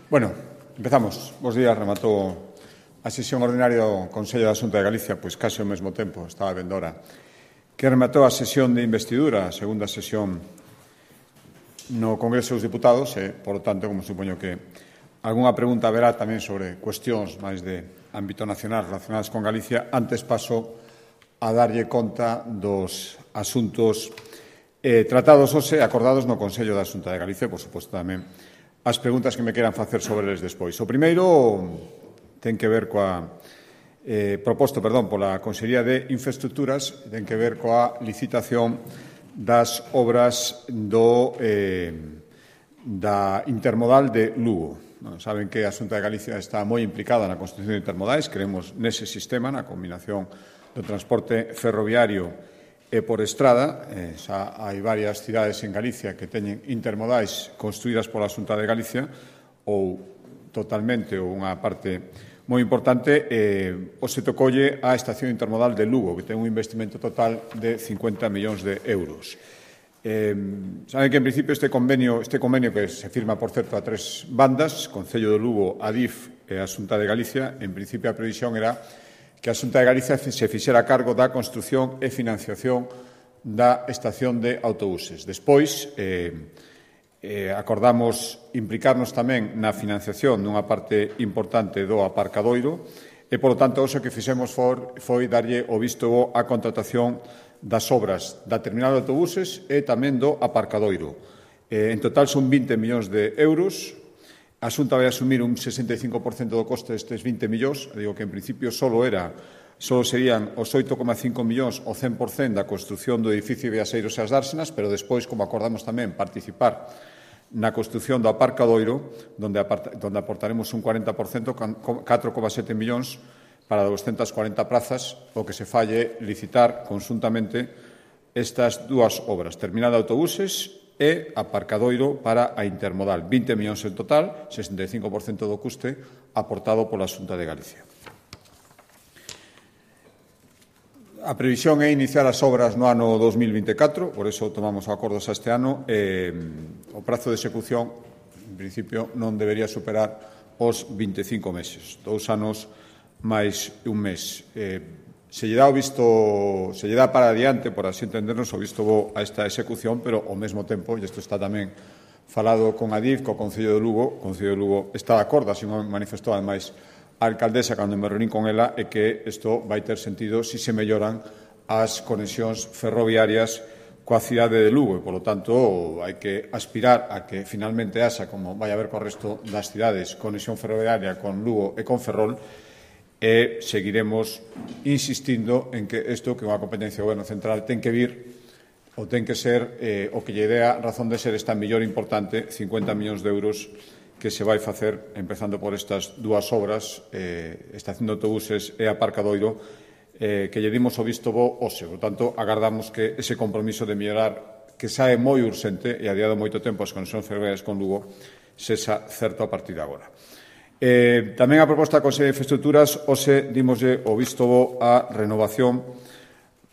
Bueno, empezamos. Bos días, rematou a sesión ordinaria do Consello da Xunta de Galicia, pois case ao mesmo tempo, estaba vendo ahora, que rematou a sesión de investidura, a segunda sesión no Congreso dos Diputados, e, por tanto, como supoño que algunha pregunta haberá tamén sobre cuestións máis de ámbito nacional relacionadas con Galicia, antes paso a darlle conta dos asuntos tratados hoxe e acordados no Consello da Xunta de Galicia, por suposto tamén as preguntas que me queran facer sobre eles despois. O primeiro ten que ver coa proposto, pola Consellería de Infraestructuras, ten que ver coa licitación das obras da intermodal de Lugo. Saben que a Xunta de Galicia está moi implicada na construción de intermodais, creemos nese sistema, na combinación do transporte ferroviario e por estrada. Xa hai varias cidades en Galicia que teñen intermodais construídas pola Xunta de Galicia ou totalmente ou unha parte moi importante. O se tocolle a estación intermodal de Lugo, que ten un investimento total de 50 millóns de euros. Saben que, en principio, este convenio que se firma, por certo, a tres bandas, Concello de Lugo, Adif e a Xunta de Galicia, en principio a previsión era que a Xunta de Galicia se fixera cargo da construción e financiación da estación de autobuses. Despois, acordamos implicarnos tamén na financiación dunha parte importante do aparcadoiro e, polo tanto, o que fixemos foi darlle o visto bo á contratación das obras da terminal de autobuses e tamén do aparcadoiro. En total son 20 millóns de euros. A Xunta vai asumir un 65% do coste destes 20 millóns. Digo que, en principio, só serían os 8,5 millóns o 100% da construción do edificio Viaseiros e as Dársenas, pero despois, como acordamos tamén, participar na construción do aparcadoiro, onde aportaremos un 40%, 4,7 millóns para 240 prazas, o que se falle licitar conxuntamente estas dúas obras, terminal de autobuses e aparcadoiro para a intermodal. 20 millóns en total, 65% do custe aportado pola Xunta de Galicia. A previsión é iniciar as obras no ano 2024, por iso tomamos acordos a este ano. O prazo de execución, en principio, non debería superar os 25 meses, 2 anos máis un mes. Se lle dá para adiante, por así entendernos, o visto bo a esta execución, pero ao mesmo tempo, e isto está tamén falado con Adif, co Concello de Lugo, o Concello de Lugo está de acordo, así manifestou ademais a alcaldesa cando me reunín con ela, é que isto vai ter sentido se se melloran as conexións ferroviarias coa cidade de Lugo e, polo tanto, hai que aspirar a que finalmente haxa, como vai haber co resto das cidades, conexión ferroviaria con Lugo e con Ferrol, e seguiremos insistindo en que isto, que é unha competencia do Goberno Central, ten que vir ou ten que ser o que lle dea razón de ser esta mellor importante, 50 millóns de euros que se vai facer, empezando por estas dúas obras, estación de autobuses e aparcadoiro, que lle dimos o visto bo hoxe. Por tanto, agardamos que ese compromiso de mellorar, que xa é moi urxente e adiado moito tempo as conexións ferroviarias con Lugo, sexa certo a partir de agora. Tamén a proposta da Consellería de Infraestructuras, hoxe dimoslle o visto bo á renovación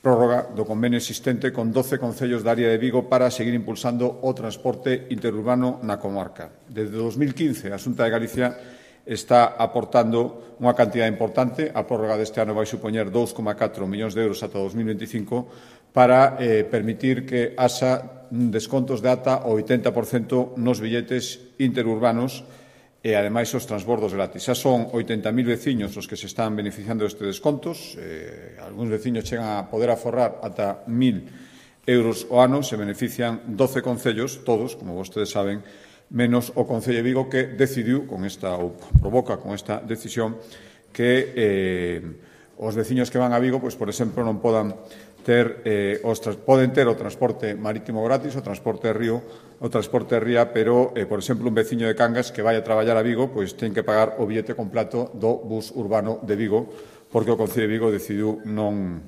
prórroga do convenio existente con 12 concellos da área de Vigo para seguir impulsando o transporte interurbano na comarca. Desde 2015, a Xunta de Galicia está aportando unha cantidad importante. A prórroga deste ano vai supoñer 2,4 millóns de euros ata 2025 para permitir que haxa descontos de ata o 80% nos billetes interurbanos e, ademais, os transbordos gratis. Xa son 80.000 veciños os que se están beneficiando destes descontos. Algúns veciños chegan a poder aforrar ata 1.000 euros o ano. Se benefician 12 concellos, todos, como vostedes saben, menos o Concello de Vigo, que decidiu, ou provoca con esta decisión, que os veciños que van a Vigo, pois, por exemplo, non poden ter o transporte marítimo gratis, o transporte de ría, pero, por exemplo, un veciño de Cangas que vai a traballar a Vigo, pois ten que pagar o billete completo do bus urbano de Vigo, porque o Concello de Vigo decidiu non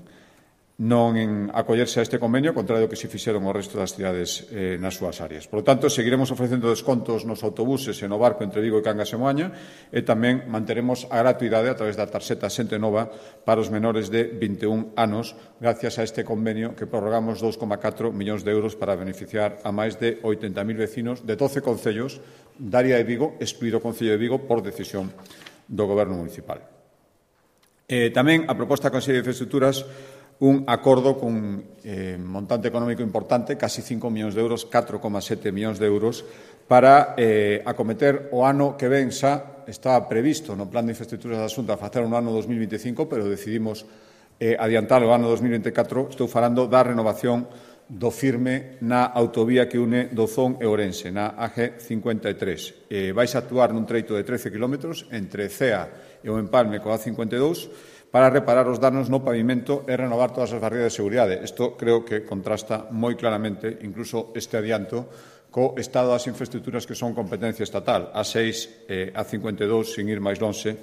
non en acollerse a este convenio, ao contrario do que se fixeron o resto das cidades nas súas áreas. Por lo tanto, seguiremos ofrecendo descontos nos autobuses e no barco entre Vigo e Cangas e Moaña e tamén manteremos a gratuidade a través da tarxeta Xente Nova para os menores de 21 anos gracias a este convenio que prorrogamos 2,4 millóns de euros para beneficiar a máis de 80.000 vecinos de 12 concellos da área de Vigo, excluído o Concello de Vigo por decisión do Goberno municipal. Tamén a proposta da Consellería de Infraestructuras un acordo con montante económico importante, casi 5 millóns de euros, 4,7 millóns de euros, para acometer o ano que ven xa estaba previsto no Plan de Infraestructuras da Xunta facer un ano 2025, pero decidimos adiantar o ano 2024. Estou falando da renovación do firme na autovía que une Dozón e Ourense, na AG53. Vais a actuar nun treito de 13 kilómetros entre Cea e o Empalme coa A52 para reparar os danos no pavimento e renovar todas as barreiras de seguridade. Isto creo que contrasta moi claramente, incluso este adianto, co estado das infraestructuras que son competencia estatal. A6 e A52, sin ir máis lonxe,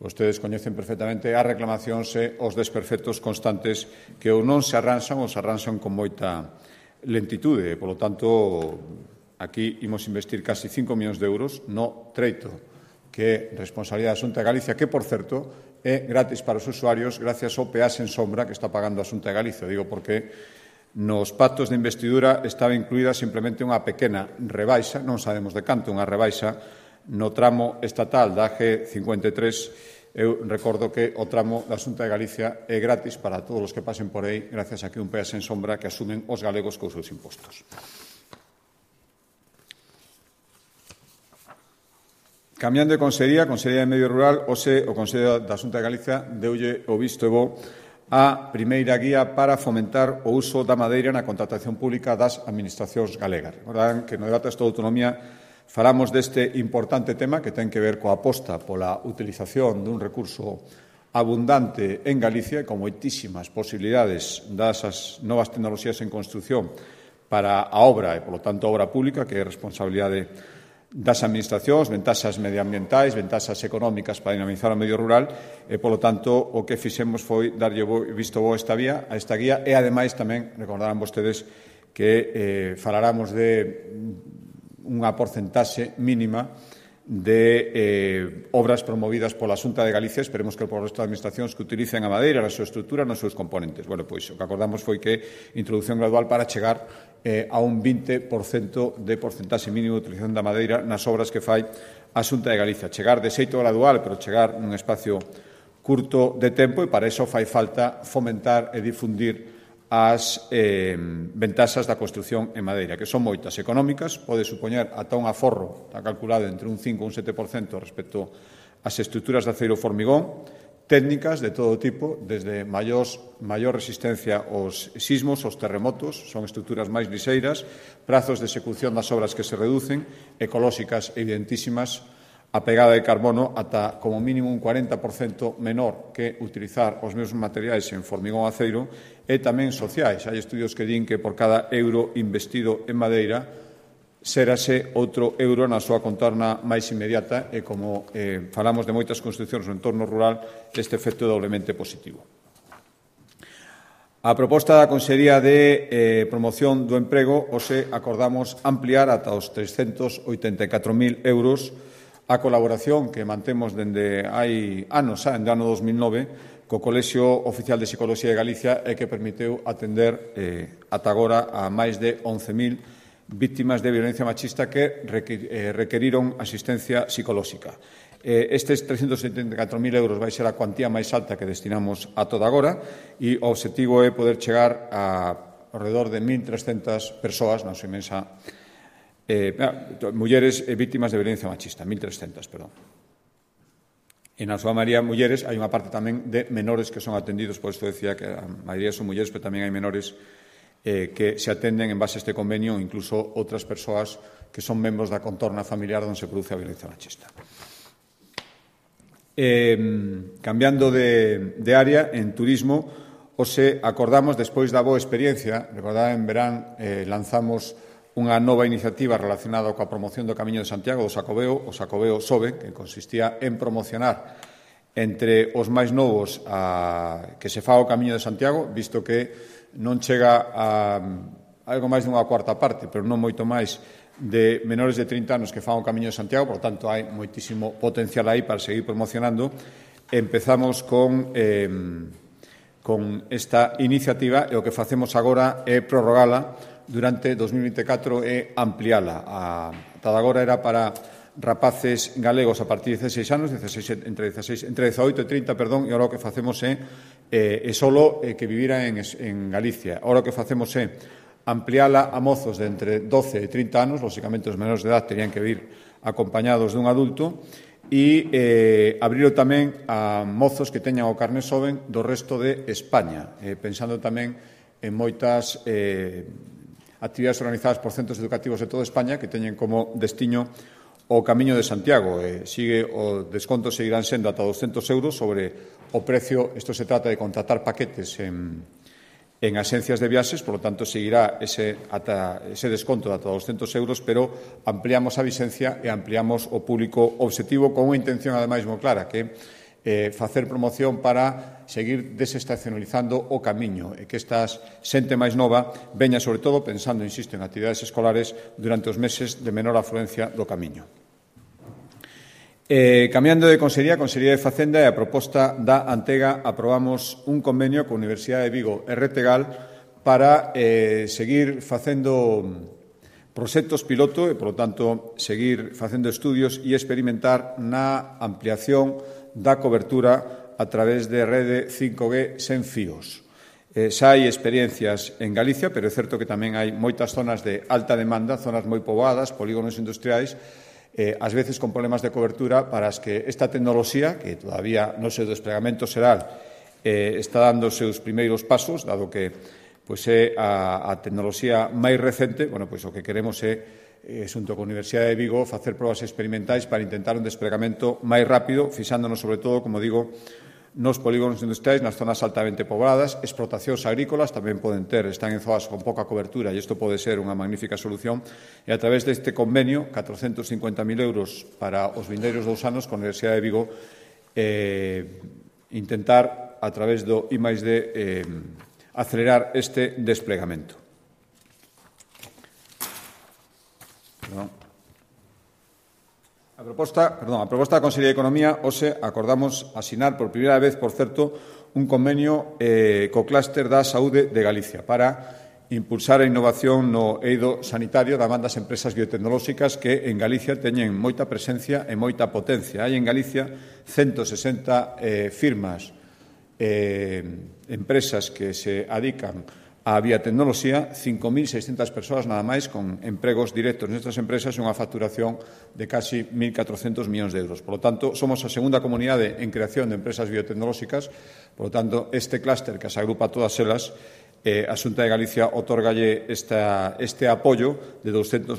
vostedes coñecen perfectamente as reclamacións e os desperfectos constantes que ou non se arranxan ou se arranxan con moita lentitude. Por lo tanto, aquí imos investir casi 5 millóns de euros no treito que é responsabilidade da Xunta de Galicia, que, por certo, é gratis para os usuarios gracias ao peaxe en sombra que está pagando a Xunta de Galicia. Digo porque nos pactos de investidura estaba incluída simplemente unha pequena rebaixa, non sabemos de canto, unha rebaixa no tramo estatal da AG53. Eu recordo que o tramo da Xunta de Galicia é gratis para todos os que pasen por aí gracias a que un peaxe en sombra que asumen os galegos cos seus impostos. Cambiando de Consellería de Medio Rural, hoxe o Consello da Xunta de Galicia deulle o visto e bo a primeira guía para fomentar o uso da madeira na contratación pública das administracións galegas. Recordarán que no debate da autonomía falamos deste importante tema que ten que ver coa aposta pola utilización dun recurso abundante en Galicia e con moitísimas posibilidades das novas tecnoloxías en construción para a obra e, polo tanto, a obra pública, que é responsabilidade das administracións, ventaxas medioambientais, ventaxas económicas para dinamizar o medio rural e, polo tanto, o que fixemos foi darlle visto bo a esta guía e, ademais, tamén recordarán vostedes que falaramos de unha porcentaxe mínima de obras promovidas pola Xunta de Galicia, esperemos que por resto de administracións que utilicen a madeira na súa estrutura, nos seus componentes. Bueno, pois o que acordamos foi que introducción gradual para chegar a un 20% de porcentaxe mínimo de utilización da madeira nas obras que fai a Xunta de Galicia. Chegar de xeito gradual, pero chegar nun espacio curto de tempo, e para iso fai falta fomentar e difundir as ventaxas da construción en madeira, que son moitas económicas, pode supoñer ata un aforro, está calculado entre un 5 e un 7% respecto ás estruturas de aceiro formigón, técnicas de todo tipo, desde maior resistencia aos sismos, aos terremotos, son estruturas máis liseiras, prazos de execución das obras que se reducen, ecolóxicas evidentísimas, a pegada de carbono ata como mínimo un 40% menor que utilizar os mesmos materiais en formigón aceiro e tamén sociais. Hai estudios que din que por cada euro investido en madeira serase outro euro na súa contorna máis inmediata e, como falamos de moitas construcións no entorno rural, este efecto é doblemente positivo. A proposta da Consellería de Promoción do Emprego, hoxe acordamos ampliar ata os 384.000 euros a colaboración que mantemos dende hai anos, dende o ano 2009, co Colexio Oficial de Psicoloxía de Galicia e que permiteu atender ata agora a máis de 11.000 vítimas de violencia machista que requeriron asistencia psicolóxica. Estes 374.000 euros vai ser a cuantía máis alta que destinamos a toda agora e o obxectivo é poder chegar a alrededor de 1.300 persoas, na súa inmensa mulleres vítimas de violencia machista, 1.300, perdón. E na súa maioría mulleres, hai unha parte tamén de menores que son atendidos, por isto decía que a maioría son mulleres, pero tamén hai menores que se atenden en base a este convenio, incluso outras persoas que son membros da contorna familiar onde se produce a violencia machista. Cambiando de área, en turismo, hoxe acordamos, despois da boa experiencia, recordad, en verán lanzamos unha nova iniciativa relacionada coa promoción do Camiño de Santiago, do Xacobeo, o Xacobeo Sobe, que consistía en promocionar entre os máis novos que se faga o Camiño de Santiago, visto que non chega a algo máis dunha cuarta parte, pero non moito máis, de menores de 30 anos que fan o Camiño de Santiago, por tanto, hai moitísimo potencial aí para seguir promocionando. Empezamos con esta iniciativa e o que facemos agora é prorrogala durante 2024 e ampliala. Ata agora era para rapaces galegos a partir de 16 anos, entre 18 e 30, e agora o que facemos é solo que viviran en Galicia. Agora o que facemos é ampliala a mozos de entre 12 e 30 anos, lógicamente os menores de edad terían que vir acompañados dun adulto, e abrilo tamén a mozos que teñan o carné xoven do resto de España, pensando tamén en moitas actividades organizadas por centros educativos de toda España que teñen como destiño o Camiño de Santiago. O desconto seguirán sendo ata 200 euros sobre o precio. Isto se trata de contratar paquetes en axencias de viaxes, por lo tanto, seguirá ese desconto de ata 200 euros, pero ampliamos a vixencia e ampliamos o público obxectivo con unha intención, ademais, moi clara, que facer promoción para seguir desestacionalizando o camiño e que esta xente máis nova veña, sobre todo, pensando, insisto, en actividades escolares durante os meses de menor afluencia do camiño. Cambiando de Consellería de Facenda e a proposta da Antega, aprobamos un convenio coa Universidade de Vigo e Retegal para seguir facendo proxectos piloto e, por lo tanto, seguir facendo estudios e experimentar na ampliación da cobertura a través de rede 5G sen fíos. Xa hai experiencias en Galicia, pero é certo que tamén hai moitas zonas de alta demanda, zonas moi poboadas, polígonos industriais, ás veces con problemas de cobertura para as que esta tecnoloxía, que todavía no seu desplegamento xeral está dando os seus primeiros pasos, dado que é a tecnoloxía máis recente, o que queremos é, xunto coa Universidade de Vigo, facer probas experimentais para intentar un desplegamento máis rápido, fixándonos, sobre todo, como digo, nos polígonos industriais, nas zonas altamente pobladas. Explotacións agrícolas tamén están en zonas con pouca cobertura e isto pode ser unha magnífica solución. E a través deste convenio, 450.000 euros para os vindeiros 2 anos con a Universidade de Vigo, intentar, a través do I+D, acelerar este desplegamento. A proposta da Consellería de Economía, hoxe acordamos asinar por primeira vez, por certo, un convenio co clúster da saúde de Galicia para impulsar a innovación no eido sanitario da man das empresas biotecnolóxicas que en Galicia teñen moita presencia e moita potencia. Hai en Galicia 160 firmas, empresas que se adican a biotecnoloxía, 5.600 persoas nada máis con empregos directos nestas empresas e unha facturación de casi 1.400 millóns de euros. Por lo tanto, somos a segunda comunidade en creación de empresas biotecnolóxicas. Por lo tanto, este clúster que as agrupa todas elas, a Xunta de Galicia otorgalle este apoio de 290.000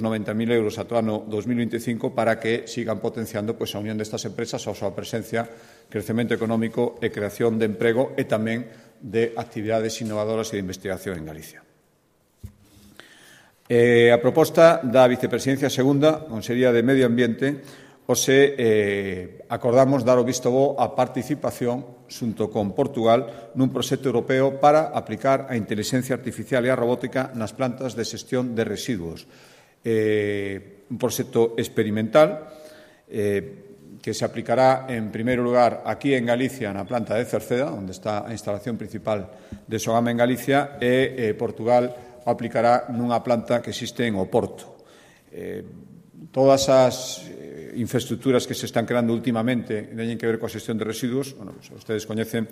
euros ata o ano 2025 para que sigan potenciando a unión destas empresas, a súa presencia, crecemento económico e creación de emprego e tamén de actividades innovadoras e de investigación en Galicia. A proposta da Vicepresidencia Segunda, Consellería de Medio Ambiente, hoxe acordamos dar o visto bo a participación xunto con Portugal nun proxecto europeo para aplicar a inteligencia artificial e a robótica nas plantas de xestión de residuos. Un proxecto experimental que se aplicará, en primeiro lugar, aquí en Galicia, na planta de Cerceda, onde está a instalación principal de Sogama en Galicia, e Portugal o aplicará nunha planta que existe en Oporto. Todas as infraestructuras que se están creando últimamente teñen que ver coa xestión de residuos. Ustedes coñecen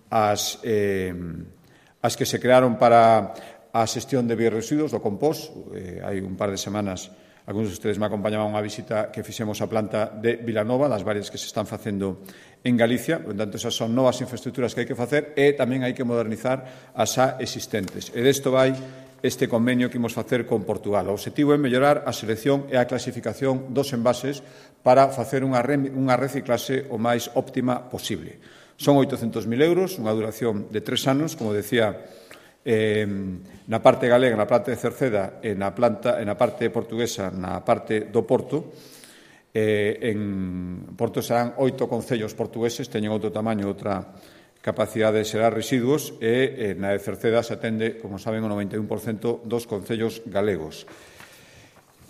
as que se crearon para a xestión de bioresiduos, do compost. Hai un par de semanas algúns de ustedes me acompañaban a unha visita que fixemos á planta de Vilanova, das varias que se están facendo en Galicia. Por tanto, esas son novas infraestructuras que hai que facer e tamén hai que modernizar as xa existentes. E desto vai este convenio que imos facer con Portugal. O obxectivo é mellorar a selección e a clasificación dos envases para facer unha reciclase o máis óptima posible. Son 800.000 euros, unha duración de 3 anos, como decía, na parte galega, na planta de Cerceda, e na parte portuguesa, na parte do Porto. En Porto serán 8 concellos portugueses, teñen outro tamaño, outra capacidade de xerar residuos, e na de Cerceda se atende, como saben, o 91% dos concellos galegos.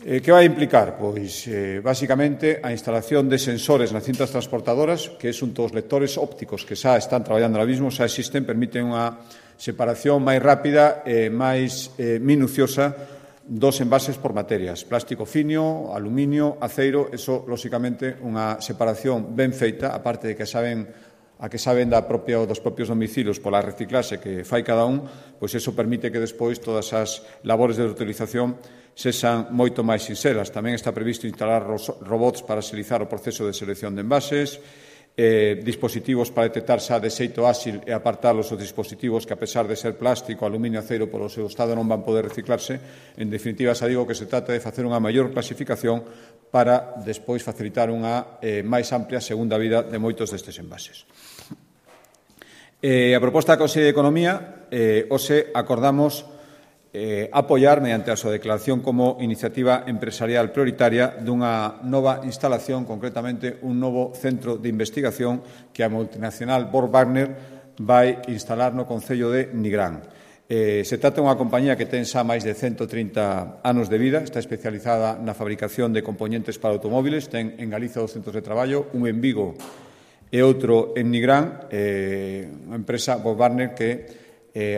Que vai implicar? Pois, basicamente, a instalación de sensores nas cintas transportadoras, que é un dos lectores ópticos que xa están traballando ahora mismo, xa existen, permiten unha separación máis rápida e máis minuciosa dos envases por materias, plástico fino, aluminio, aceiro. Eso, lóxicamente, unha separación ben feita, aparte de que saben dos propios domicilios pola reciclaxe que fai cada un, pois eso permite que despois todas as labores de reutilización sexan moito máis sinxelas. Tamén está previsto instalar robots para axilizar o proceso de selección de envases, dispositivos para detectar xa de xeito áxil e apartalos os dispositivos que, a pesar de ser plástico, aluminio, aceiro, polo seu estado non van poder reciclarse. En definitiva, xa digo que se trata de facer unha maior clasificación para despois facilitar unha máis amplia segunda vida de moitos destes envases. A proposta da Consellería de Economía, hoxe acordamos apoiar, mediante a súa declaración como iniciativa empresarial prioritaria, dunha nova instalación, concretamente un novo centro de investigación que a multinacional Borg Warner vai instalar no concello de Nigrán. Se trata dunha compañía que ten xa máis de 130 anos de vida, está especializada na fabricación de componentes para automóviles, ten en Galicia 2 centros de traballo, un en Vigo e outro en Nigrán, unha empresa Borg Warner que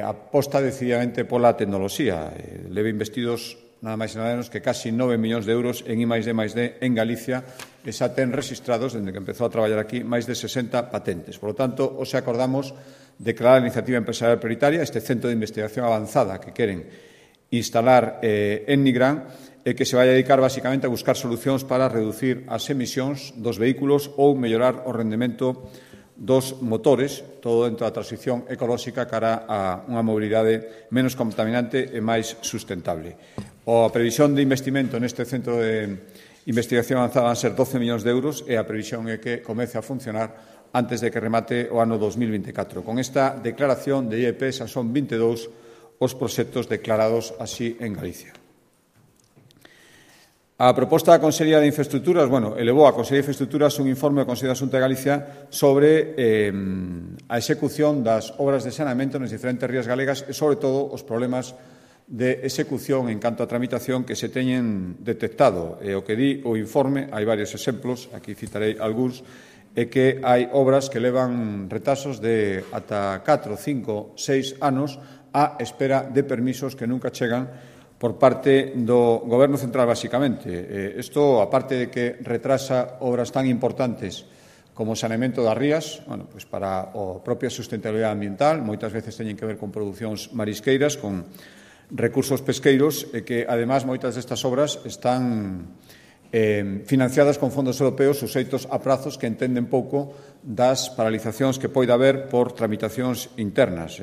aposta decididamente pola tecnoloxía. Leva investidos nada máis e nada menos que casi 9 millóns de euros en I+D+D en Galicia, e xa ten registrados, dende que empezou a traballar aquí, máis de 60 patentes. Por lo tanto, hoxe acordamos declarar a iniciativa empresarial prioritaria, este centro de investigación avanzada que queren instalar en Nigrán, e que se vai a dedicar basicamente a buscar solucións para reducir as emisións dos vehículos ou mellorar o rendemento dos motores, todo dentro da transición ecolóxica cara a unha mobilidade menos contaminante e máis sustentable. A previsión de investimento neste centro de investigación avanzada van ser 12 millóns de euros, e a previsión é que comece a funcionar antes de que remate o ano 2024. Con esta declaración de IEP xa son 22 os proxectos declarados así en Galicia. A proposta da Consellería de Infraestructuras, elevou a Consellería de Infraestructuras un informe do Consello da Xunta de Galicia sobre a execución das obras de saneamento nas diferentes rías galegas e, sobre todo, os problemas de execución en canto a tramitación que se teñen detectado. E o que di o informe, hai varios exemplos, aquí citarei algúns, é que hai obras que levan retrasos de ata 4, 5, 6 anos á espera de permisos que nunca chegan por parte do Goberno central, basicamente. Isto, aparte de que retrasa obras tan importantes como o saneamento das rías, pois para a propia sustentabilidade ambiental, moitas veces teñen que ver con producións marisqueiras, con recursos pesqueiros, e que, además, moitas destas obras están financiadas con fondos europeos suxeitos a prazos que entenden pouco das paralizacións que poida haber por tramitacións internas.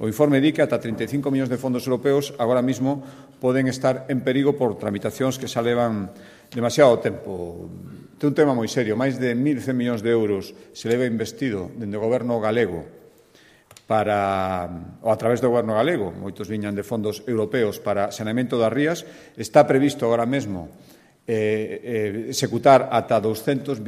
O informe di que ata 35 millóns de fondos europeos agora mismo poden estar en perigo por tramitacións que xa levan demasiado tempo. Ten un tema moi serio, máis de 1.100 millóns de euros se leva investido dende o Goberno galego ou a través do Goberno galego, moitos viñan de fondos europeos para saneamento das rías. Está previsto agora mesmo executar ata 228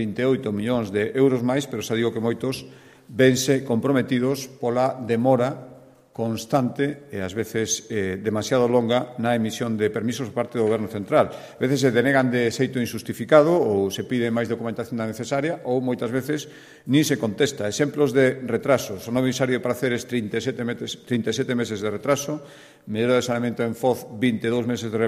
millóns de euros máis, pero xa digo que moitos vense comprometidos pola demora constante e, ás veces, demasiado longa na emisión de permisos por parte do Goberno central. A veces se denegan de xeito injustificado ou se pide máis documentación da necesaria, ou moitas veces nin se contesta. Exemplos de retrasos: o novo visario de Praceres, 37 meses de retraso; mellora de saneamento en Foz, 22 meses de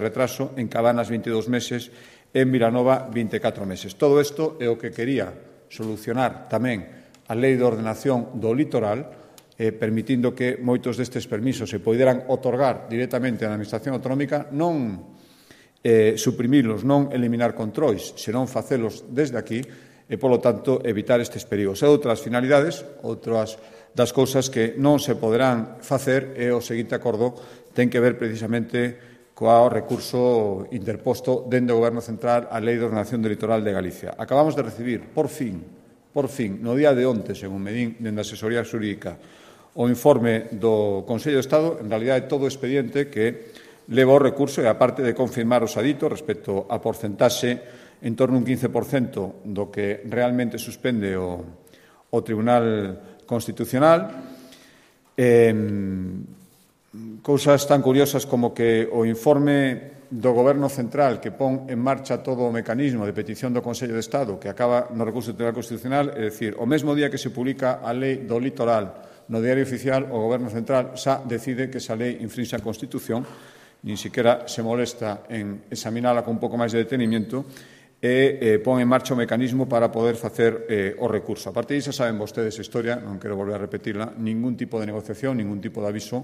retraso; en Cabanas, 22 meses; en Vilanova, 24 meses. Todo isto é o que quería solucionar tamén a Lei de Ordenación do Litoral, permitindo que moitos destes permisos se poderan otorgar directamente á Administración autonómica, non suprimilos, non eliminar controis, senón facelos desde aquí e, polo tanto, evitar estes perigos. E outras finalidades, outras das cousas que non se poderán facer, e o seguinte acordo ten que ver precisamente co recurso interposto dende o Goberno central á Lei de Ordenación do Litoral de Galicia. Acabamos de recibir, por fin, no día de onte, según me din dende a asesoría xurídica, o informe do Consello de Estado, en realidade todo o expediente que leva o recurso, e aparte de confirmar os aditos respecto a porcentaxe en torno a un 15% do que realmente suspende o Tribunal Constitucional. Cousas tan curiosas como que o informe do Goberno Central que pon en marcha todo o mecanismo de petición do Consello de Estado que acaba no recurso do Tribunal Constitucional, é dicir, o mesmo día que se publica a lei do litoral no Diario Oficial, o Goberno Central xa decide que esa lei infrinxe a Constitución, nin siquiera se molesta en examinala con un pouco máis de detenimiento e pon en marcha o mecanismo para poder facer o recurso. A partir disso, saben vostedes a historia, non quero volver a repetirla, ningún tipo de negociación, ningún tipo de aviso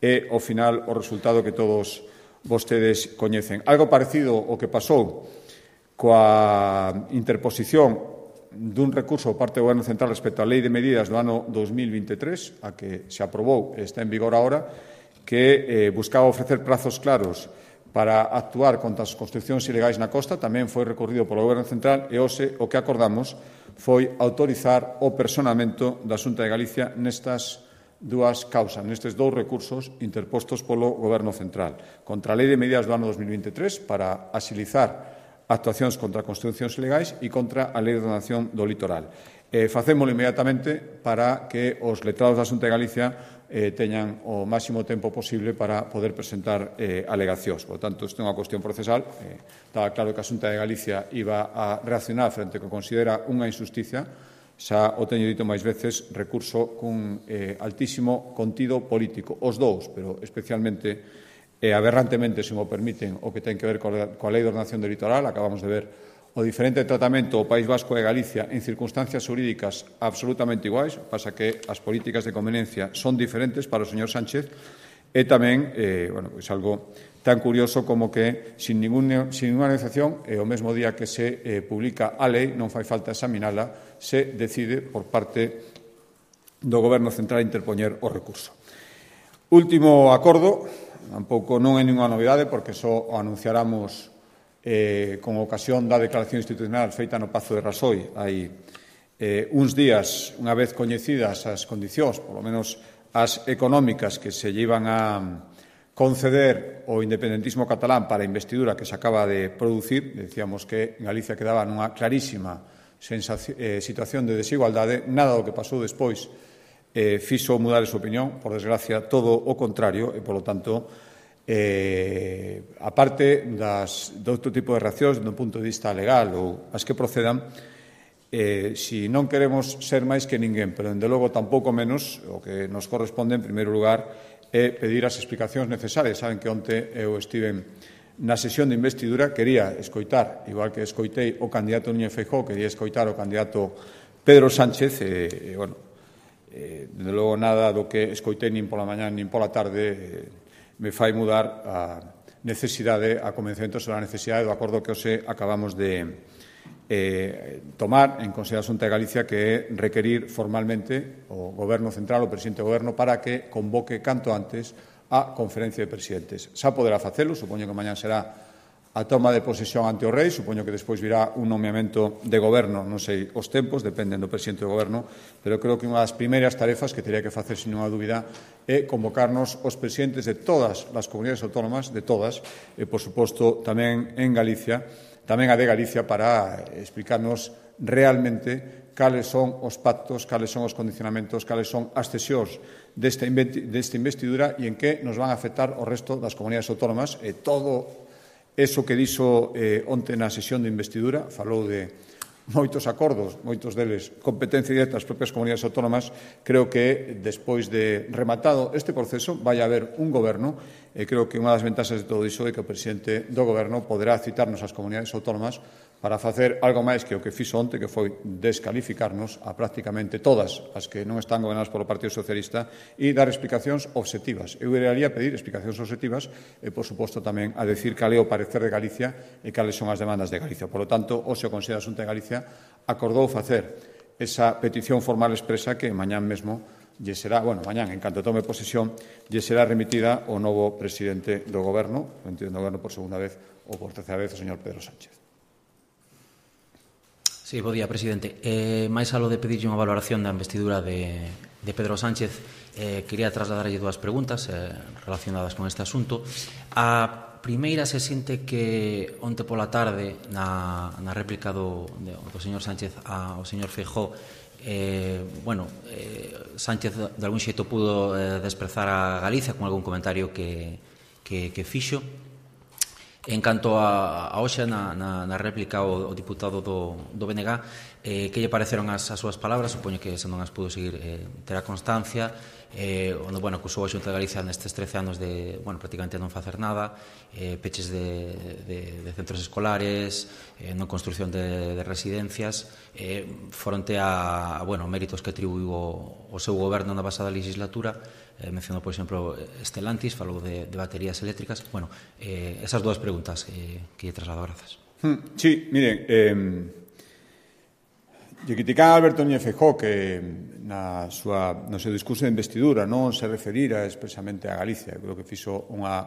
e, ao final, o resultado que todos vostedes coñecen. Algo parecido ao que pasou coa interposición dun recurso por parte do Goberno Central respecto á Lei de Medidas do ano 2023, a que se aprobou e está en vigor agora, que buscaba ofrecer prazos claros para actuar contra as construcións ilegais na costa, tamén foi recorrido polo Goberno Central e hoxe o que acordamos foi autorizar o personamento da Xunta de Galicia nestas dúas causas, nestes dous recursos interpostos polo Goberno Central, contra a Lei de Medidas do ano 2023 para axilizar actuacións contra construcións ilegais e contra a Lei de Ordenación do Litoral. Facémolo inmediatamente para que os letrados da Xunta de Galicia teñan o máximo tempo posible para poder presentar alegacións. Por tanto, isto é unha cuestión procesal. Estaba claro que a Xunta de Galicia iba a reaccionar frente ao que considera unha injusticia. Xa o teño dito máis veces, recurso cun altísimo contido político. Os dous, pero especialmente aberrantemente, se mo permiten, o que ten que ver coa Lei de Ordenación do Litoral. Acabamos de ver o diferente tratamento ao País Vasco e Galicia en circunstancias xurídicas absolutamente iguais, pasa que as políticas de conveniencia son diferentes para o señor Sánchez e tamén, pois algo tan curioso como que sin ninguna negociación, o mesmo día que se publica a lei, non fai falta examinala, se decide por parte do Goberno Central interpoñer o recurso. Último acordo, tampouco non é ninguna novidade porque só o anunciáramos con ocasión da declaración institucional feita no Pazo de Rasoi hai uns días, unha vez coñecidas as condicións, polo menos as económicas que se llevan a conceder o independentismo catalán para a investidura que se acaba de producir. Decíamos que Galicia quedaba nunha clarísima situación de desigualdade. Nada do que pasou despois fixo mudar esa opinión, por desgracia, todo o contrario, e, polo tanto, aparte de outro tipo de reaccións do punto de vista legal ou as que procedan, si non queremos ser máis que ninguén, pero, dende logo, tampouco menos, o que nos corresponde, en primeiro lugar, é pedir as explicacións necesarias. Saben que onte eu estive na sesión de investidura, quería escoitar, igual que escoitei o candidato Núñez Feijóo, quería escoitar o candidato Pedro Sánchez, dende logo nada do que escoitei nin pola mañá nin pola tarde me fai mudar a necesidade, a convencemento sobre a necesidade do acordo que hoxe acabamos de tomar en consideración de Galicia, que é requerir formalmente o Goberno Central, o Presidente do Goberno, para que convoque canto antes a conferencia de presidentes. Xa poderá facelo, supoño que mañá será a toma de posesión ante o Rei, supoño que despois virá un nomeamento de Goberno, non sei os tempos, dependen do Presidente do Goberno, pero creo que unha das primeiras tarefas que teria que facer, sin unha dúbida, é convocarnos os presidentes de todas as comunidades autónomas, de todas, e, por suposto, tamén en Galicia, tamén a de Galicia, para explicarnos realmente cales son os pactos, cales son os condicionamentos, cales son as cesións desta investidura e en que nos van a afectar o resto das comunidades autónomas. E todo eso que dixo onte na sesión de investidura, falou de moitos acordos, moitos deles competencia directa das propias comunidades autónomas. Creo que despois de rematado este proceso vai haber un goberno, e creo que unha das ventaxas de todo iso é que o presidente do goberno poderá citarnos ás comunidades autónomas para facer algo máis que o que fixo onte, que foi descalificarnos a prácticamente todas as que non están gobernadas polo Partido Socialista e dar explicacións obxectivas. Eu iría a pedir explicacións obxectivas e, por suposto, tamén a decir cal é o parecer de Galicia e cales son as demandas de Galicia. Por lo tanto, hoxe o Consello da Xunta de Galicia acordou facer esa petición formal expresa que mañán mesmo lle será, mañán, en canto tome posesión, lle será remitida ao novo presidente do Goberno, por segunda vez ou por terceira vez, o señor Pedro Sánchez. Sí, bo día, presidente. Máis algo de pedirlle unha valoración da investidura de Pedro Sánchez, quería trasladarlle dúas preguntas relacionadas con este asunto. A primeira se sinte que onte pola tarde na réplica do señor Sánchez ao señor Feijóo Sánchez de algún xeito pudo desprezar a Galicia con algún comentario que fixo. En canto a hoxe na réplica o diputado do BNG, que lle pareceron as súas palabras? Supoño que se non as pudo seguir terá constancia, onde acusou a Xunta de Galicia nestes 13 anos de prácticamente non facer nada, peches de centros escolares, non construción de residencias, fronte a méritos que atribuiu o seu goberno na pasada legislatura. Mencionou, por exemplo, Stellantis, falou de baterías eléctricas. Esas dúas preguntas que lle traslado. Grazas. Sí, miren, lle critican a Alberto Núñez Feijóo que no seu discurso de investidura non se referira expresamente a Galicia. Creo que fixo unha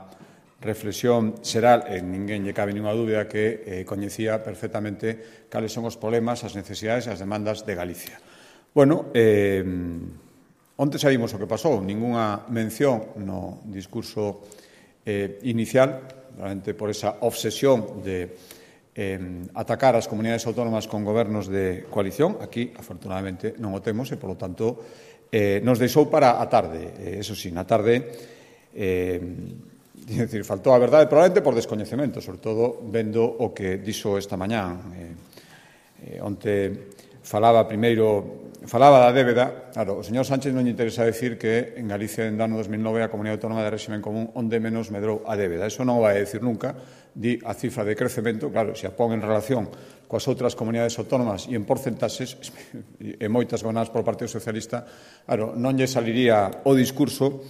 reflexión xeral e ninguén lle cabe ninguna dúbida que coñecía perfectamente cales son os problemas, as necesidades e as demandas de Galicia. Onte sabimos o que pasou, ningunha mención no discurso inicial, realmente por esa obsesión de atacar as comunidades autónomas con gobernos de coalición. Aquí, afortunadamente, non o temos e, polo tanto, nos deixou para a tarde. Eso sí, na tarde, faltou a verdade, probablemente por descoñecemento, sobre todo vendo o que dixo esta mañá. Onte falaba da débeda. Claro, o señor Sánchez non lle interesa decir que en Galicia, en ano 2009, a Comunidade Autónoma de Réximen Común onde menos medrou a débeda. Eso non o vai a decir nunca. Di a cifra de crecemento, claro, se a pon en relación coas outras comunidades autónomas e en porcentaxes, e moitas gobernadas polo Partido Socialista, claro, non lle saliría o discurso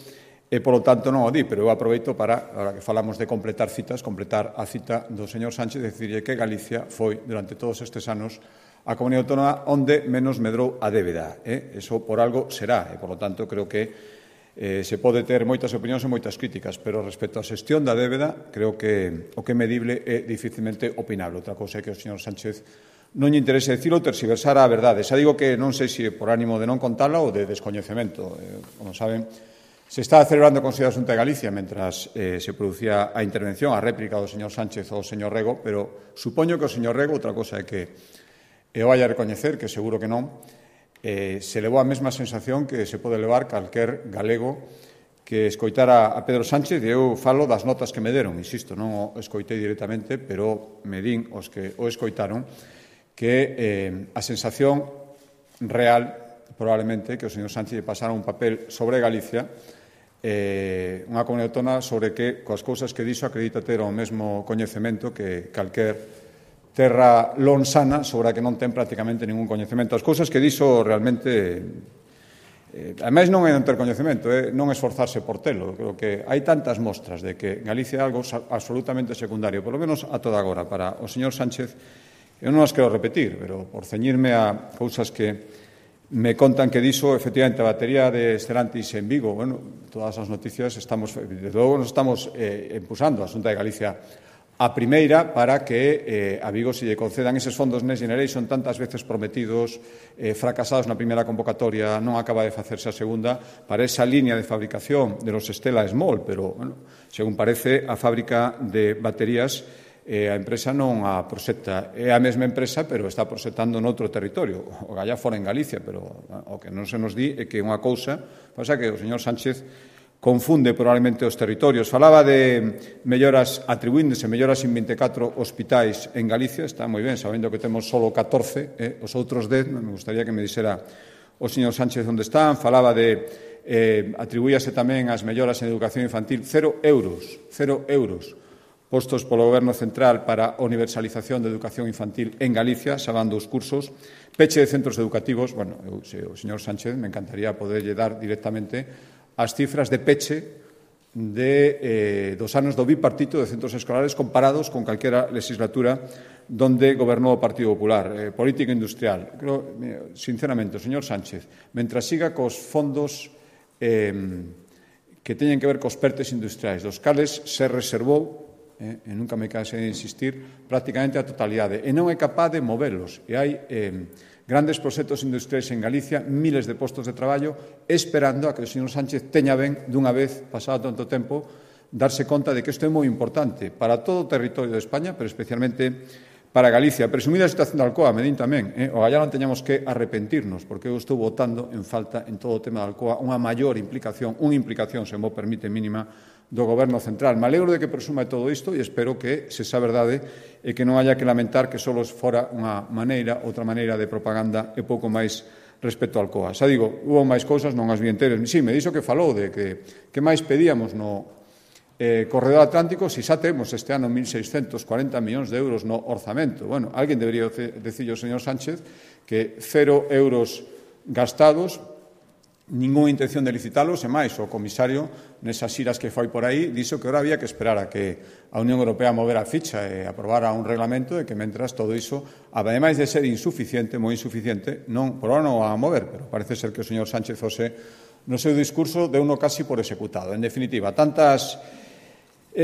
e, polo tanto, non o di, pero eu aproveito para, agora que falamos de completar a cita do señor Sánchez, decirlle que Galicia foi, durante todos estes anos, a comunidade autónoma onde menos medrou a débeda. Eso por algo será, e, por lo tanto, creo que se pode ter moitas opinións e moitas críticas, pero respecto á xestión da débeda, creo que o que é medible é dificilmente opinable. Outra cousa é que o señor Sánchez non lle interese dicilo, terxiversar a verdade. Xa digo que non sei se por ánimo de non contala ou de descoñecemento. Como saben, se está celebrando o Consello da Xunta de Galicia mentras se producía a intervención, a réplica do señor Sánchez ao señor Rego, pero supoño que o señor Rego, outra cousa é que eu vai a recoñecer, que seguro que non, se levou a mesma sensación que se pode levar calquer galego que escoitara a Pedro Sánchez, e eu falo das notas que me deron, insisto, non o escoitei directamente, pero me din os que o escoitaron, que a sensación real, probablemente, que o señor Sánchez pasara un papel sobre Galicia, unha comunidade autónoma sobre que, coas cousas que dixo, acredita ter o mesmo coñecemento que calquer terra lonsana sobre a que non ten prácticamente ningún coñecemento. As cousas que dixo realmente, ademais non é non ter coñecemento, é non esforzarse por telo. Creo que hai tantas mostras de que Galicia é algo absolutamente secundario, polo menos a toda agora, para o señor Sánchez. Eu non as quero repetir, pero por ceñirme a cousas que me contan que dixo, efectivamente, a batería de Stellantis en Vigo, todas as noticias desde logo nos estamos impulsando a Xunta de Galicia a primeira para que a Vigo se lle concedan eses fondos Next Generation tantas veces prometidos, fracasados na primeira convocatoria, non acaba de facerse a segunda, para esa línea de fabricación de los Stella Small, pero, según parece, a fábrica de baterías a empresa non a proxecta. É a mesma empresa, pero está proxectando noutro territorio, o galla fora en Galicia, pero o que non se nos di é que unha cousa, pasa que o señor Sánchez confunde probablemente os territorios. Falaba de melloras, atribuíndose melloras en 24 hospitais en Galicia, está moi ben, sabendo que temos só 14, os outros 10, me gustaría que me dixera o señor Sánchez onde están. Falaba de atribuíase tamén as melloras en educación infantil, 0 euros postos polo Goberno Central para a universalización de educación infantil en Galicia, salvando os cursos, peche de centros educativos. Bueno, o señor Sánchez me encantaría poderlle dar directamente as cifras de peche dos anos do bipartito de centros escolares comparados con calquera legislatura donde gobernou o Partido Popular. Política industrial. Creo, sinceramente, o señor Sánchez, mentras siga cos fondos que teñen que ver cos PERTES industriais, dos cales se reservou, e nunca me canse de insistir, prácticamente a totalidade, e non é capaz de movelos. E hai grandes proxectos industriais en Galicia, miles de postos de traballo, esperando a que o señor Sánchez teña ben, dunha vez, pasado tanto tempo, darse conta de que isto é moi importante para todo o territorio de España, pero especialmente para Galicia. Presumida a situación de Alcoa, medín tamén, ojalá non teñamos que arrepentirnos, porque eu estou votando en falta en todo o tema de Alcoa unha maior implicación, se mo permite, mínima, do Goberno central. Me alegro de que presuma de todo isto e espero que se xa verdade e que non haya que lamentar que só fora outra maneira de propaganda e pouco máis respecto ao Alcoa. Xa digo, hubo máis cousas, non as vi enteras. Sí, me dixo que falou de que máis pedíamos no Corredor Atlántico se xa temos este ano 1.640 millóns de euros no orzamento. Bueno, alguén debería decirlo ao señor Sánchez que 0 euros gastados, ninguna intención de licitalos, e máis, o comisario, nesas xiras que foi por aí, dixo que ahora había que esperar a que a Unión Europea movera a ficha e aprobara un reglamento e que, mentras, todo iso, ademais de ser insuficiente, moi insuficiente, non, por ahora non a mover, pero parece ser que o señor Sánchez José, no seu discurso, deu uno casi por executado. En definitiva,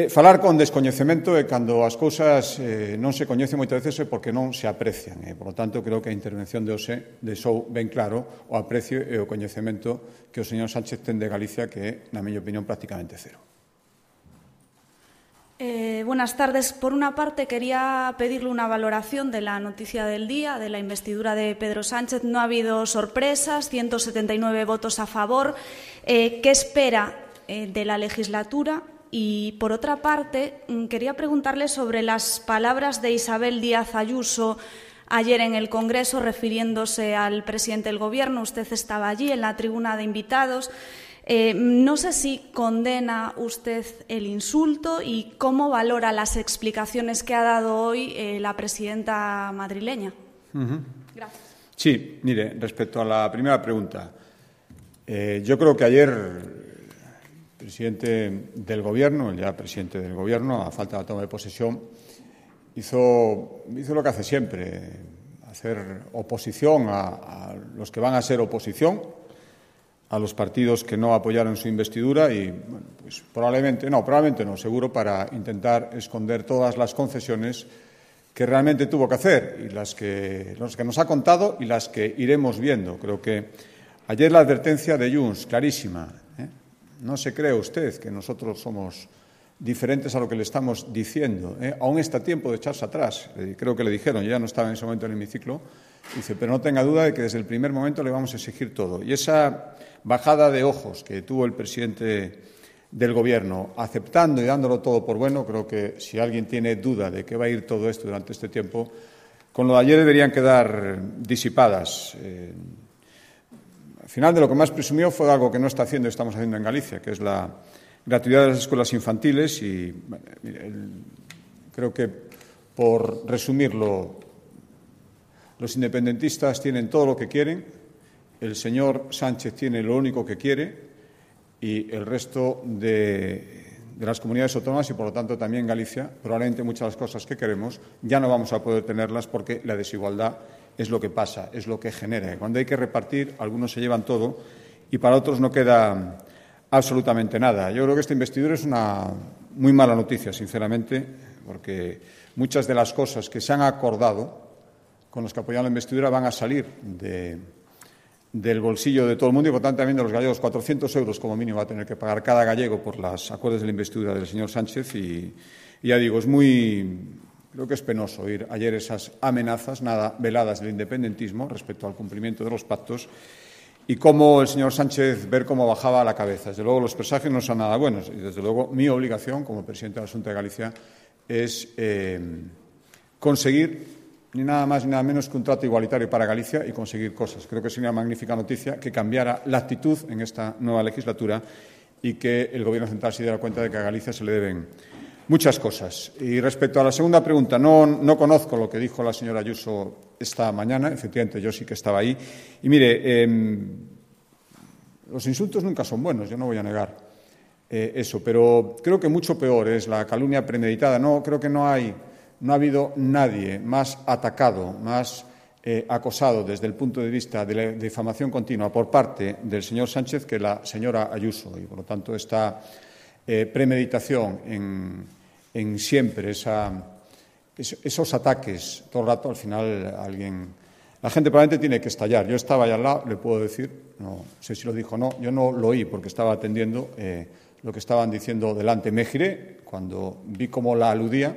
falar con descoñecemento é cando as cousas non se coñecen moitas veces é porque non se aprecian. Por lo tanto, creo que a intervención de hoxe deixou ben claro o aprecio e o coñecemento que o señor Sánchez ten de Galicia, que é, na miña opinión, prácticamente cero. Buenas tardes. Por una parte, quería pedirle una valoración de la noticia del día, de la investidura de Pedro Sánchez. No ha habido sorpresas, 179 votos a favor. ¿Qué espera de la legislatura? Y, por otra parte, quería preguntarle sobre las palabras de Isabel Díaz Ayuso ayer en el Congreso, refiriéndose al presidente del Gobierno. Usted estaba allí en la tribuna de invitados. No sé si condena usted el insulto y cómo valora las explicaciones que ha dado hoy la presidenta madrileña. Gracias. Sí, mire, respecto a la primera pregunta, yo creo que ayer presidente del Gobierno, el ya presidente del Gobierno, a falta de la toma de posesión, hizo lo que hace siempre, hacer oposición a los que van a ser oposición, a los partidos que no apoyaron su investidura y, bueno, pues probablemente no, seguro para intentar esconder todas las concesiones que realmente tuvo que hacer y los que nos ha contado y las que iremos viendo. Creo que ayer la advertencia de Junts, clarísima, no se cree usted que nosotros somos diferentes a lo que le estamos diciendo. Aún está a tiempo de echarse atrás. Creo que le dijeron, yo ya no estaba en ese momento en el hemiciclo, dice, pero no tenga duda de que desde el primer momento le vamos a exigir todo. Y esa bajada de ojos que tuvo el presidente del Gobierno, aceptando y dándolo todo por bueno, creo que si alguien tiene duda de que va a ir todo esto durante este tiempo, con lo de ayer deberían quedar disipadas. Al final, de lo que más presumió fue algo que no está haciendo y estamos haciendo en Galicia, que es la gratuidad de las escuelas infantiles y bueno, creo que, por resumirlo, los independentistas tienen todo lo que quieren, el señor Sánchez tiene lo único que quiere y el resto de las comunidades autónomas y, por lo tanto, también Galicia, probablemente muchas de las cosas que queremos ya no vamos a poder tenerlas porque la desigualdad es lo que pasa, es lo que genera. Cuando hay que repartir, algunos se llevan todo y para otros no queda absolutamente nada. Yo creo que esta investidura es una muy mala noticia, sinceramente, porque muchas de las cosas que se han acordado con los que apoyan la investidura van a salir del bolsillo de todo el mundo y, por tanto, también de los gallegos. 400 euros como mínimo va a tener que pagar cada gallego por los acuerdos de la investidura del señor Sánchez y ya digo, creo que es penoso oír ayer esas amenazas nada veladas del independentismo respecto al cumplimiento de los pactos y cómo el señor Sánchez ver cómo bajaba la cabeza. Desde luego, los presagios no son nada buenos y, desde luego, mi obligación como presidente de la Xunta de Galicia es conseguir ni nada más ni nada menos que un trato igualitario para Galicia y conseguir cosas. Creo que sería una magnífica noticia que cambiara la actitud en esta nueva legislatura y que el Gobierno central se diera cuenta de que a Galicia se le deben muchas cosas. Y respecto a la segunda pregunta, no conozco lo que dijo la señora Ayuso esta mañana. Efectivamente, yo sí que estaba ahí. Y mire, los insultos nunca son buenos, yo no voy a negar eso, pero creo que mucho peor es la calumnia premeditada. Creo que no ha habido nadie más atacado, más acosado desde el punto de vista de la difamación continua por parte del señor Sánchez que la señora Ayuso. Y, por lo tanto, esta premeditación en siempre esos ataques todo el rato, al final la gente probablemente tiene que estallar. Yo estaba allá al lado, le puedo decir, no sé si lo dijo o no, yo no lo oí porque estaba atendiendo lo que estaban diciendo delante. Me giré cuando vi cómo la aludía,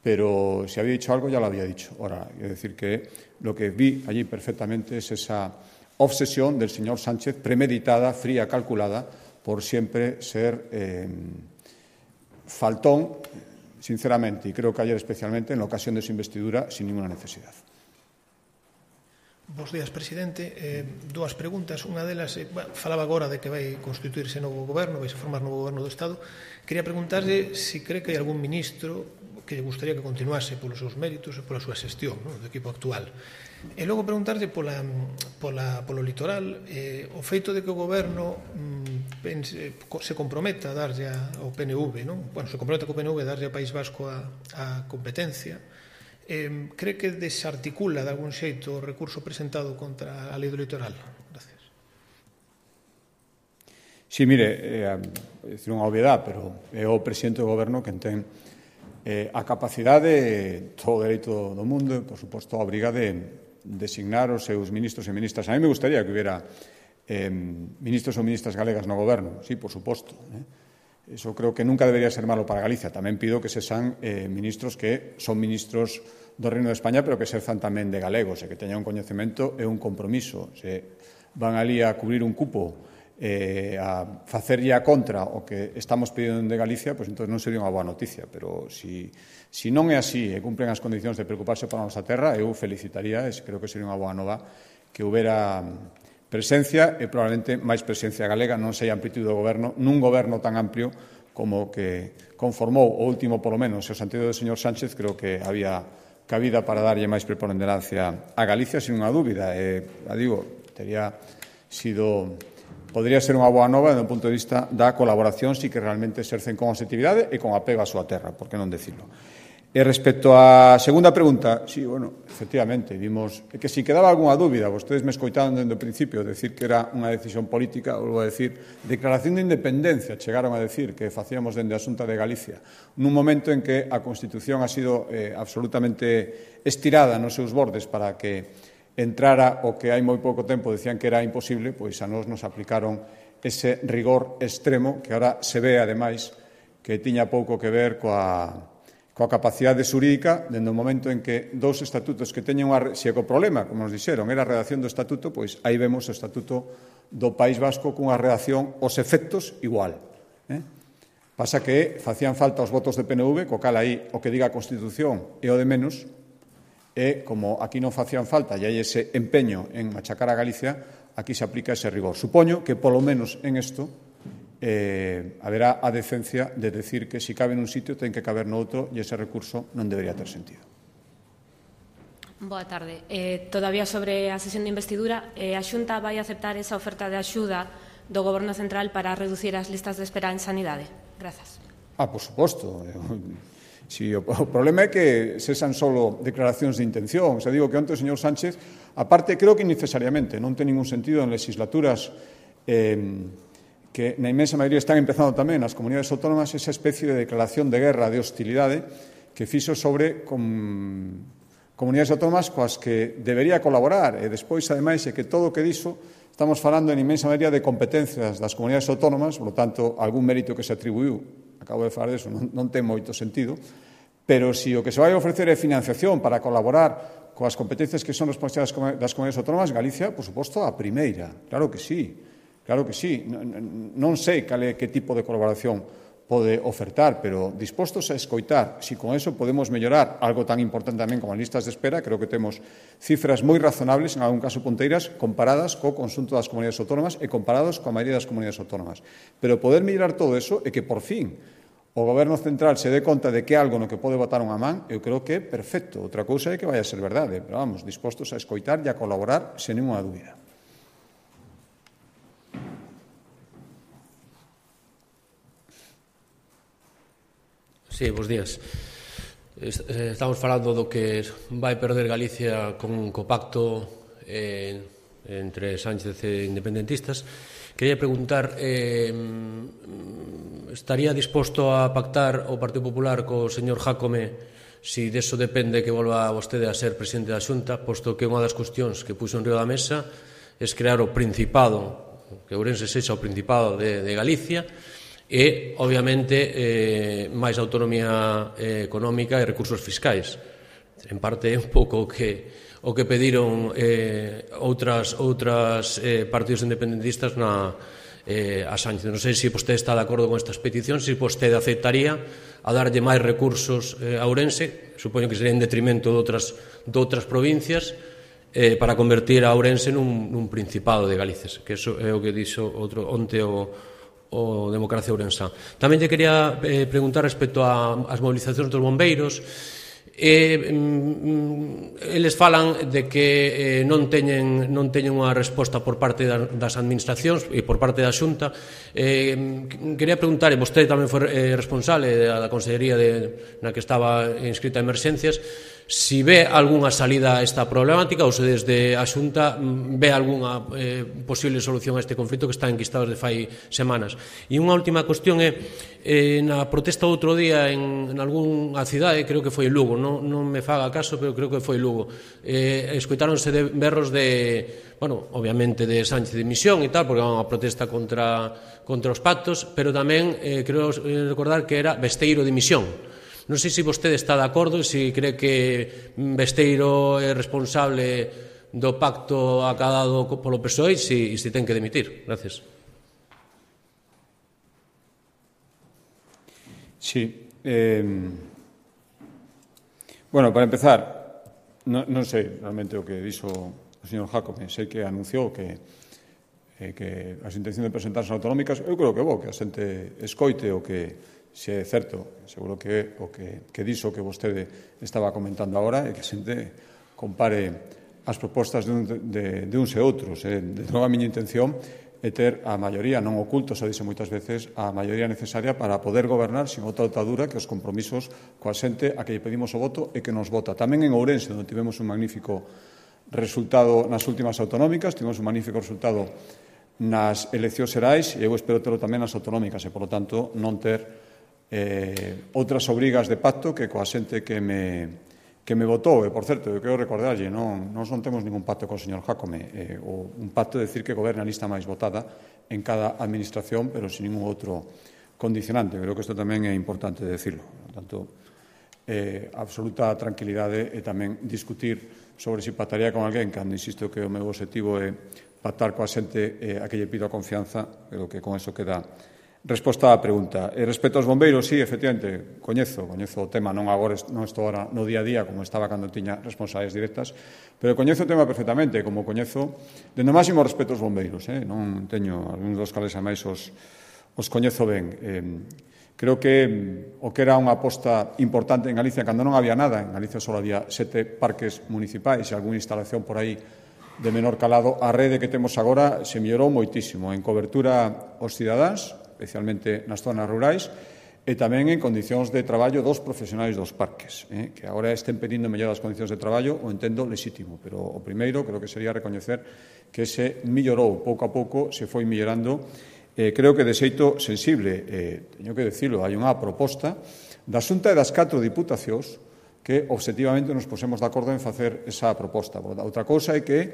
pero si había dicho algo ya lo había dicho. Ahora, es decir, que lo que vi allí perfectamente es esa obsesión del señor Sánchez, premeditada, fría, calculada, por siempre ser faltón, sinceramente, y creo que ayer especialmente, en la ocasión de su investidura, sin ninguna necesidad. Bos días, presidente. Dúas preguntas. Unha delas, falaba agora de que vai constituirse novo goberno, vai se formar novo goberno do Estado. Quería preguntarle se cree que hai algún ministro que lle gustaría que continuase polos seus méritos e pola súa xestión, no, do equipo actual. E logo preguntarle polo litoral, o feito de que o goberno se comprometa a darlle ao PNV, non? Bueno, se comprometa co PNV a darlle ao País Vasco a competencia. Cree que desarticula de algún xeito o recurso presentado contra a lei do litoral? Gracias. Sí, mire, é dicir unha obviedade, pero é o presidente do goberno quen ten a capacidade, todo o dereito do mundo, e, por suposto, a obriga de designar os seus ministros e ministras. A mí me gustaría que hubiera ministros ou ministras galegas no goberno, sí, por suposto. Eso creo que nunca debería ser malo para Galicia. Tamén pido que se sean ministros que son ministros do Reino de España, pero que sezan tamén de galegos e que teñan un coñecemento e un compromiso. Se van ali a cubrir un cupo a facerlle a contra o que estamos pedindo de Galicia, pois entón non sería unha boa noticia. Pero si non é así e cumpren as condicións de preocuparse pola nosa terra, eu felicitaría, e creo que sería unha boa nova que houbera presencia e probablemente máis presencia galega, non sei a amplitude do goberno, nun goberno tan amplio como que conformou o último, polo menos, o sentido do señor Sánchez. Creo que había cabida para darlle máis preponderancia a Galicia, sin unha dúbida. Podría ser unha boa nova desde o punto de vista da colaboración, si que realmente exercen con objetividade e con apego á súa terra, por que non decirlo. E respecto á segunda pregunta, sí, bueno, efectivamente, vimos que si quedaba algunha dúbida, vostedes me escoitaron dende o principio decir que era unha decisión política, volvo a decir, declaración de independencia, chegaron a decir que facíamos dende a Xunta de Galicia, nun momento en que a Constitución ha sido absolutamente estirada nos seus bordes para que entrara o que hai moi pouco tempo decían que era imposible, pois a nós nos aplicaron ese rigor extremo que ahora se ve, ademais, que tiña pouco que ver coa capacidade xurídica, dende o momento en que dous estatutos que teñen se o problema, como nos dixeron, era a redacción do estatuto, pois aí vemos o estatuto do País Vasco cunha redacción, os efectos igual. Pasa que facían falta os votos de PNV, co cal aí o que diga a Constitución é o de menos, e como aquí non facían falta e hai ese empeño en machacar a Galicia, aquí se aplica ese rigor. Supoño que, polo menos en isto, haberá a decencia de decir que si cabe nun sitio ten que caber no outro e ese recurso non debería ter sentido. Boa tarde. Todavía sobre a sesión de investidura, a Xunta vai aceptar esa oferta de axuda do Goberno Central para reducir as listas de espera en sanidade? Grazas. Por suposto. Si, o problema é que sesan solo declaracións de intención. Digo que onte o señor Sánchez, aparte, creo que innecesariamente, non ten ningún sentido en legislaturas que na inmensa maioría están empezando tamén nas comunidades autónomas esa especie de declaración de guerra, de hostilidade que fixo sobre comunidades autónomas coas que debería colaborar e despois, ademais, é que todo o que dixo estamos falando en inmensa maioría de competencias das comunidades autónomas, por lo tanto, algún mérito que se atribuiu, acabo de falar deso, non ten moito sentido, pero se o que se vai ofrecer é financiación para colaborar coas competencias que son responsabilidades das comunidades autónomas, Galicia, por suposto, a primeira, claro que sí. Claro que sí, non sei que tipo de colaboración pode ofertar, pero dispostos a escoitar, se con eso podemos mellorar algo tan importante tamén como as listas de espera, creo que temos cifras moi razonables, en algún caso punteiras, comparadas co conxunto das comunidades autónomas e comparados coa maioría das comunidades autónomas. Pero poder mellorar todo eso e que, por fin, o Goberno Central se dé conta de que é algo no que pode botar unha man, eu creo que é perfecto. Outra cousa é que vai a ser verdade, pero vamos, dispostos a escoitar e a colaborar sen ninguna dúbida. Sí, bos días. Estamos falando do que vai perder Galicia co pacto entre Sánchez e independentistas. Quería preguntar, estaría disposto a pactar o Partido Popular co señor Jácome si deso depende que volva vostede a ser presidente da Xunta, posto que unha das cuestións que puxo en riba da mesa é crear o Principado, que Ourense sexa o Principado de Galicia, e, obviamente, máis autonomía económica e recursos fiscais. En parte é un pouco o que pediron outras partidos independentistas a Sánchez. Non sei se vostede está de acordo con estas peticións, se vostede aceptaría a darlle máis recursos a Ourense, supoño que sería en detrimento de outras provincias, para convertir a Ourense nun principado de Galicia, que eso é o que dixo onte o Democracia Ourensá. Tamén lle quería preguntar respecto ás movilizacións dos bombeiros. Eles falan de que non teñen unha resposta por parte das administracións e por parte da Xunta. Quería preguntar, e vostede tamén foi responsable da Consellería na que estaba inscrita a Emerxencias, si ve algunha salida a esta problemática ou se desde a Xunta ve algunha posible solución a este conflito que está enquistado desde fai semanas. E unha última cuestión é, na protesta outro día en algunha cidade, creo que foi Lugo, non me faga caso, pero creo que foi Lugo, escoitáronse berros de, bueno, obviamente de Sánchez de Misión e tal, porque era unha protesta contra os pactos, pero tamén creo recordar que era Besteiro de Misión. Non sei se vostede está de acordo e se cree que Besteiro é responsable do pacto acadado polo PSOE e se ten que dimitir. Gracias. Sí. Bueno, para empezar, non sei realmente o que dixo o señor Jácome. Sei que anunciou que as intencións de presentarse autonómicas, eu creo que é bo que a xente escoite o que se é certo, seguro que é o que dixo que vostede estaba comentando agora, e que a xente compare as propostas de uns e outros. De novo, a miña intención é ter a maioría, non oculto, xa dixo moitas veces, a maioría necesaria para poder gobernar sin outra altadura que os compromisos coa xente a que lle pedimos o voto e que nos vota. Tamén en Ourense, onde tivemos un magnífico resultado nas últimas autonómicas, tivemos un magnífico resultado nas eleccións xerais, e eu espero terlo tamén nas autonómicas, e, polo tanto, non ter outras obrigas de pacto que coa xente que me votou. E, por certo, eu quero recordarlle, non temos ningún pacto con o señor Jácome, un pacto de decir que goberna a lista máis votada en cada administración, pero sin ningún outro condicionante. Creo que isto tamén é importante decirlo. Por tanto, absoluta tranquilidade e tamén discutir sobre se pactaría con alguén, cando insisto que o meu objetivo é pactar coa xente a que lle pido a confianza, pero que con eso queda resposta á pregunta. Respecto aos bombeiros, sí, efectivamente, coñezo o tema, non estou agora no día a día como estaba cando tiña responsabilidades directas, pero coñezo o tema perfectamente, como coñezo dende o máximo respeto aos bombeiros. Non teño algúns dos cales a máis os coñezo ben. Creo que o que era unha aposta importante en Galicia, cando non había nada, en Galicia só había 7 parques municipais e algunha instalación por aí de menor calado, a rede que temos agora se mellorou moitísimo en cobertura aos cidadáns, especialmente nas zonas rurais, e tamén en condicións de traballo dos profesionais dos parques, que agora estén pedindo mellorar as condicións de traballo, o entendo lexítimo, pero o primeiro creo que sería recoñecer que se mellorou pouco a pouco, se foi mellorando, creo que de xeito sensible. Teño que dicilo, hai unha proposta da Xunta e das 4 diputacións que obxectivamente nos pusemos de acordo en facer esa proposta. Outra cousa é que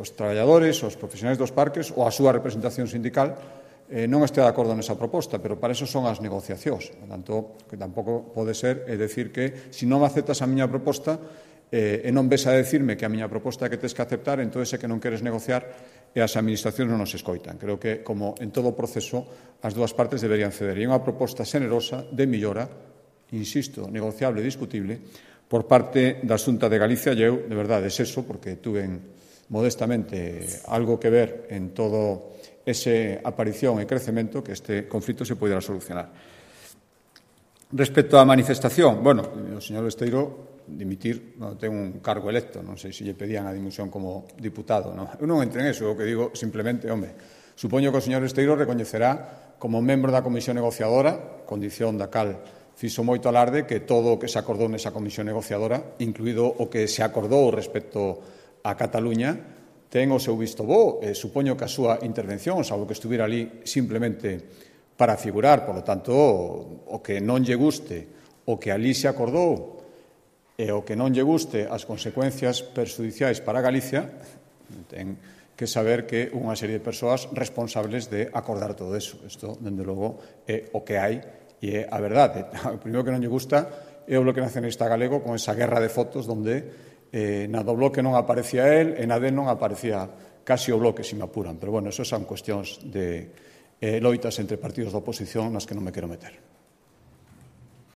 os traballadores, os profesionais dos parques ou a súa representación sindical non este de acordo nesa proposta, pero para eso son as negociacións. Por tanto, que tampouco pode ser decir que se non aceptas a miña proposta e non ves a decirme que a miña proposta é que tens que aceptar, entón é que non queres negociar e as administracións non nos escoitan. Creo que, como en todo proceso, as dúas partes deberían ceder. E unha proposta xenerosa de millora, insisto, negociable e discutible, por parte da Xunta de Galicia, e eu, de verdade, eso, porque tuve modestamente algo que ver en todo ese aparición e crecemento que este conflito se poderá solucionar. Respecto á manifestación, bueno, o señor Besteiro dimitir, ten un cargo electo, non sei se lle pedían a dimisión como diputado, non? Eu non entro en eso, o que digo simplemente, supoño que o señor Besteiro recoñecerá como membro da comisión negociadora, condición da cal fixo moito alarde, que todo o que se acordou nesa comisión negociadora, incluído o que se acordou respecto a Cataluña, ten o seu visto bo. Supoño que a súa intervención, salvo que estuviera ali simplemente para figurar, por lo tanto, o que non lle guste o que ali se acordou e o que non lle guste as consecuencias perxudiciais para Galicia, ten que saber que unha serie de persoas responsables de acordar todo eso. Isto, dende logo, é o que hai e é a verdade. O primeiro que non lle gusta é o Bloque Nacionalista Galego con esa guerra de fotos onde na do Bloque non aparecía el e na non aparecía casi o Bloque, se me apuran. Pero, bueno, eso son cuestións de loitas entre partidos da oposición nas que non me quero meter.